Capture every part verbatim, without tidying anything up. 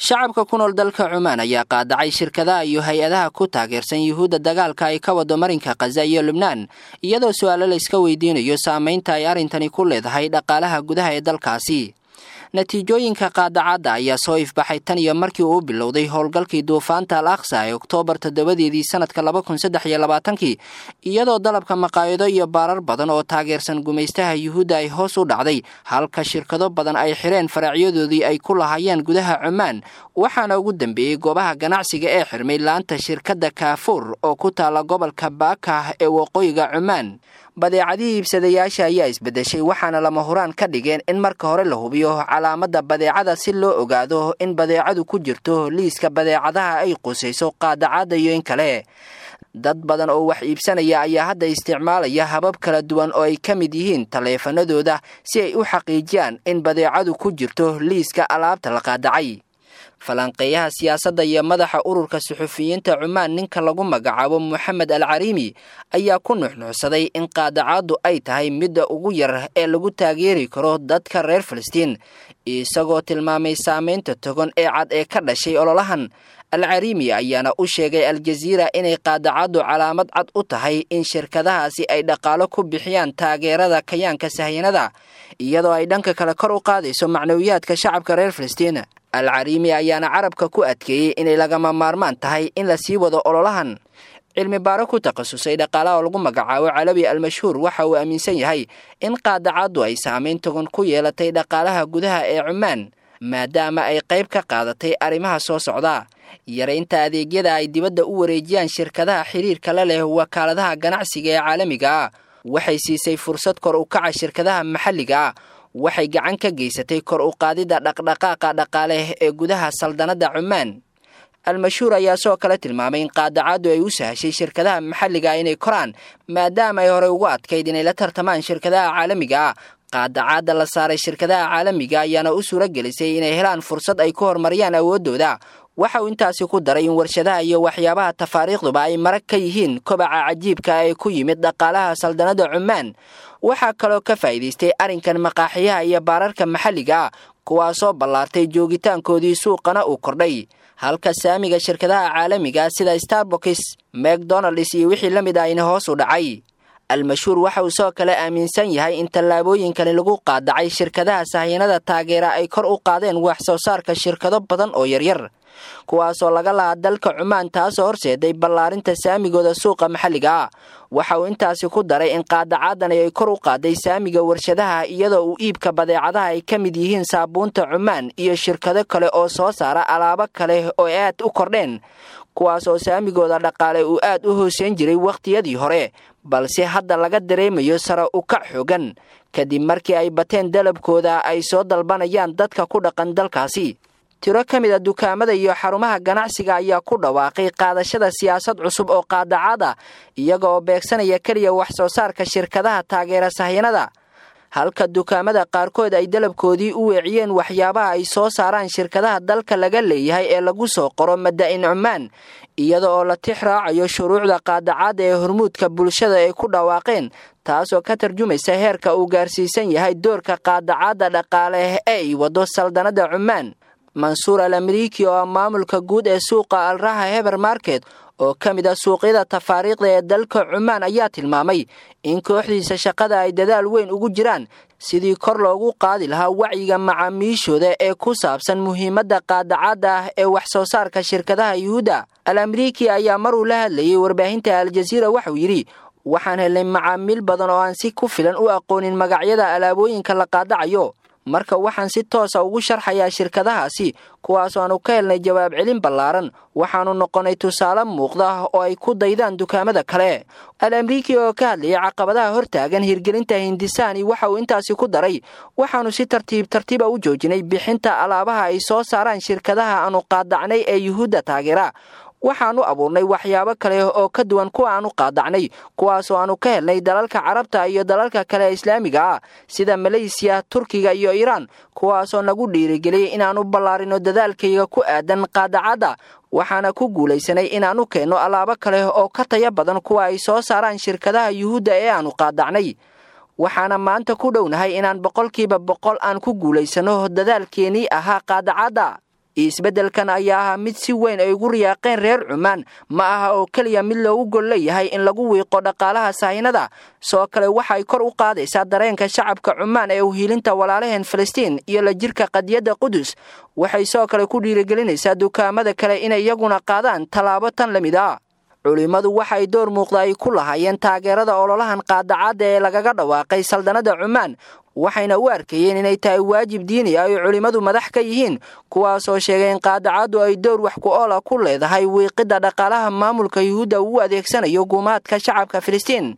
Shacabka ku nool dalka Cumaan ayaa qaadacay shirkadaha iyo hay-adaha ku taageersan Yuhuudda dagaalka ay ka wado marinka Khaza iyo Lubnaan, iyadoo su-aalo la iska weydiinayo saameynta ay arrintani ku leedahay dhaqaalaha gudaha ee dalkaasi. Natiijooyinka qaadacadda ayaa soo ifbaxay tan iyo markii uu bilowday howlgalkii duufaanta Al Aqsa ee Oktoobar toddobadeedii sanadka laba kun saddex iyo labaatankii, iyadoo dalabka maqaayado iyo baarar badan oo taageersan gumaystaha Yuhuudda ay hoos u dhacday, halka shirkado badan ay xireen faracyadoodii ay ku lahaayeen gudaha Cumaan. Waxaana ugu dambeeyey goobaha ganacsiga ee xirmay laanta shirkadda Kaafuur oo ku taala gobolka Baakah ee waqooyiga Cumaan. Badeecadihii iibsadayaasha ayaa isbedeshay, waxaana lama huraan ka dhigeen in marka hore la hubiyo calaamadda badeecada si loo ogaado in badeecadu ku jirto liiska badeecadaha ay qusayso qaadacadda iyo in kale. Dad badan oo wax iibsanaya ayaa hadda isticmaalaya habab kala duwan oo ay ka mid yihiin taleefanadooda si ay u xaqiijiyaan in badeecadu ku jirto liiska alaabta la qaadacay. Falanqeeyaha siyaasadda iyo madaxa ururka suxufiyiinta Cumaan, ninka lagu magacaabo Moxamed Al Cariimi, ayaa ku nuxnuxsaday in qaadacaaddu ay tahay midda ugu yar ee lagu taageeri karo dadka reer Falastiin, isagoo tilmaamay saameynta togan ee cad ee ka dhashay ololahan. Al Cariimi ayaana u sheegay Aljaziira inay qaadacaddu calaamad cad u tahay in shirkadahaasi ay dhaqaalo ku bixiyaan taageerada kayaanka sahyanada, iyadoo ay dhanka kale kor u qaadayso macnawiyaadka shacabka reer Falastiin. Al Cariimi ayaana carabka ku adkeeyey inay lagama maarmaan tahay in la sii wado ololahan. Cilmi baaro ku takhasusay dhaqaalaha oo lagu magacaabo Calawi Almashhuur waxa uu aaminsan yahay in qaadacaddu ay saameyn togan ku yeelatay dhaqaalaha gudaha ee Cumaan, maadaama ay qayb ka qaadatay arrimaha soo socda: yaraynta adeegyada ay dibadda u wareejiyaan shirkadaha xiriirka la leh wakaaladaha ganacsiga ee caalamiga ah, waxay siisay fursad kor u kaca shirkadaha maxalliga ah, waxay gacan ka geysatay kor u qaadidda dhaqdhaqaaqa dhaqaale ee gudaha saldanadda Cumaan. Almashhuur ayaa sidoo kale tilmaamay in qaadacaddu ay u sahashay shirkadaha maxalliga inay koraan, maadaama ay horey ugu adkayd inay la tartamaan shirkadaha caalamiga ah. Qaadacaadda la saaray shirkadaha caalamiga ayaana u suura gelisay inay helaan fursad ay ku horumariyaan awooddooda. Waxa uu intaasi ku daray in warshadaha iyo waxyaabaha tafaariikhduba ay marag ka yihiin kobaca cajiibka ee ku yimid dhaqaalaha saldanadda Cumaan. Waxaa kaloo ka faa'iidaystay arrinkan maqaaxiyaha iyo baararka maxalliga ah, kuwaasoo ballaartay joogitaankoodii suuqana uu kordhay, halka saamiga shirkadaha caalamiga sida Starbucks, McDonalds iyo wixii la mid ah ina hoos u dhacay. Almashhuur waxa uu sidoo kale aaminsan yahay in tallaabooyinkani lagu qaadacay shirkadaha sahyanada taageera ay kor u qaadeen wax soo saarka shirkado badan oo yaryar, kuwaasoo laga lahaa dalka Cumaan, taasoo horseeday ballaarinta saamigooda suuqa maxalliga ah. Waxa uu intaasi ku daray in qaadacaadani ay kor u qaaday saamiga warshadaha, iyadoo uu iibka badeecadaha ay ka mid yihiin saabuunta Cumaan iyo shirkado kale oo soo saara alaabo kale oo aad u kordheen, kuwaas oo saamigooda dhaqaale uu aad u hooseyn jiray wakhtiyadii hore, balse hadda laga dareemayo sare u kac xoogan kadib markii ay bateen dalabkooda ay soo dalbanayaan dadka ku dhaqan dalkaasi. Tiro ka mid a dukaamada iyo xarumaha ganacsiga ayaa ku dhawaaqay qaadashada siyaasad cusub oo qaadacaad ah, iyaga oo beegsanaya keliya wax soo saarka shirkadaha taageera sahyanada, halka dukaamada qaarkood ay dalabkoodii u weeciyeen waxyaabaha ay soo saaraan shirkadaha dalka laga leeyahay ee lagu soo qoro Madaa'in Cumaan, iyada oo la tix raacayo shuruucda qaadacaadda ee hormuudka bulshada ay ku dhawaaqeen, taasoo ka tarjumaysa heerka uu gaarsiisan yahay doorka qaadacaadda dhaqaale ee ay wado saldanadda Cumaan. Mansuur Al Amriiki oo ah maamulka guud ee suuqa Alraha Heber Market oo ka mid ah suuqyada tafaariikhda ee dalka Cumaan ayaa tilmaamay in kooxdiisa shaqada ay dadaal weyn ugu jiraan sidii kor loogu qaadi lahaa wacyiga macaamiishooda ee ku saabsan muhiimadda qaadacadda ah ee wax soo saarka shirkadaha Yuhuudda. Al Amriiki ayaa maruu la hadlayay warbaahinta Aljaziira waxauu yidhi: waxaan helnay macaamiil badan oo aan si ku filan u aqoonin magacyada alaabooyinka la qaadacayo, marka waxaan si toosa ugu sharxayaa shirkadahaasi, kuwaasoo aanu ka helnay jawaab celin ballaaran. Waxaanu noqonay tusaale muuqda oo ay ku daydaan dukaamada kale. Al Amriiki oo ka hadlayay caqabadaha hortaagan hirgelinta hindisaani waxa uu intaasi ku daray: waxaanu si tartiib tartiiba u joojinay bixinta alaabaha ay soo saaraan shirkadaha aanu qaadacnay ee Yuhuudda taageera. Waxaanu abuurnay waxyaabo kale oo ka duwan kuwa aanu qaadacnay, kuwaasoo aanu ka helnay dalalka Carabta iyo dalalka kale ee islaamiga ah sida Maleysiya, Turkiga iyo Iiraan, kuwaasoo nagu dhiirigeliyey inaannu ballaarino dadaalkayga ku aadan qaadacadda. Waxaana ku guulaysanay inaannu keenno alaabo kale oo ka taya badan kuwa ay soo saaraan shirkadaha Yuhuudda ee aanu qaadacnay. Waxaana maanta ku dhownahay inaan boqolkiiba boqol aan ku guulaysano dadaalkeenii ahaa qaadacadda. Isbeddelkan ayaa ahaa mid si weyn ay ugu riyaaqeen reer Cumaan. Ma aha oo keliya mid loogu gol leeyahay in lagu wiiqo dhaqaalaha sahinada, sidoo kale waxay kor u qaadaysaa dareenka shacabka Cumaan ee uhiilinta walaalaheen Falastiin iyo la jirka qadiyadda Qudus. Waxay sidoo kale ku dhiirigelinaysaa dukaamada kale inay iyaguna qaadaan tallaabo tan la mid ah. Culimmadu waxay door muuqda ay ku lahaayeen taageerada ololahan qaadacaadda ee lagaga dhawaaqay saldanada Cumaan, waxayna u arkayeen inay tahay waajib diini ah ay culimmadu madax ka yihiin, kuwaasoo sheegay in qaadacaddu ay door wax ku ool ah ku leedahay wiiqidda dhaqaalaha maamulka Yuhuudda uu adeegsanayo gumaadka shacabka Filistiin.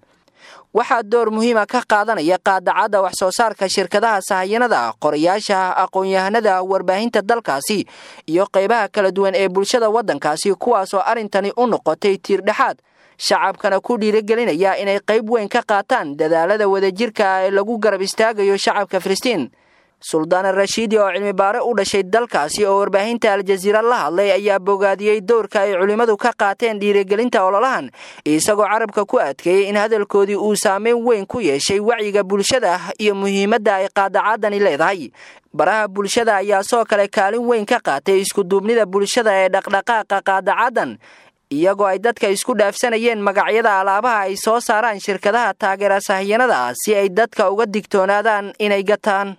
Waxaa door muhiima ka qaadanaya qaadacadda wax soo saarka shirkadaha sahayanada, qorayaasha, aqoon-yahanada, warbaahinta dalkaasi iyo qaybaha kala duwan ee bulshada waddankaasi, kuwaasoo arrintani u noqotay tiir dhexaad, shacabkana ku dhiirigelinaya inay qayb weyn ka qaataan dadaalada wadajirka ah ee lagu garab istaagayo shacabka Filistiin. Suldaan Rashiidi oo cilmi baare u dhashay dalkaasi oo warbaahinta Aljaziira la hadlay ayaa bogaadiyey doorka ay culimmadu ka qaateen dhiirigelinta ololahan, isagoo carabka ku adkeeyey in hadalkoodii uu saameyn weyn ku yeeshay wacyiga bulshada iyo muhiimadda ay qaadacaadani leedahay. Baraha bulshada ayaa sidoo kale kaalin weyn ka qaatay iskuduubnida bulshada ee dhaqdhaqaaqa qaadacaadan, iyagoo ay dadka isku dhaafsanayeen magacyada alaabaha ay soo saaraan shirkadaha taageera sahyanada si ay dadka uga digtoonaadaan inay gataan.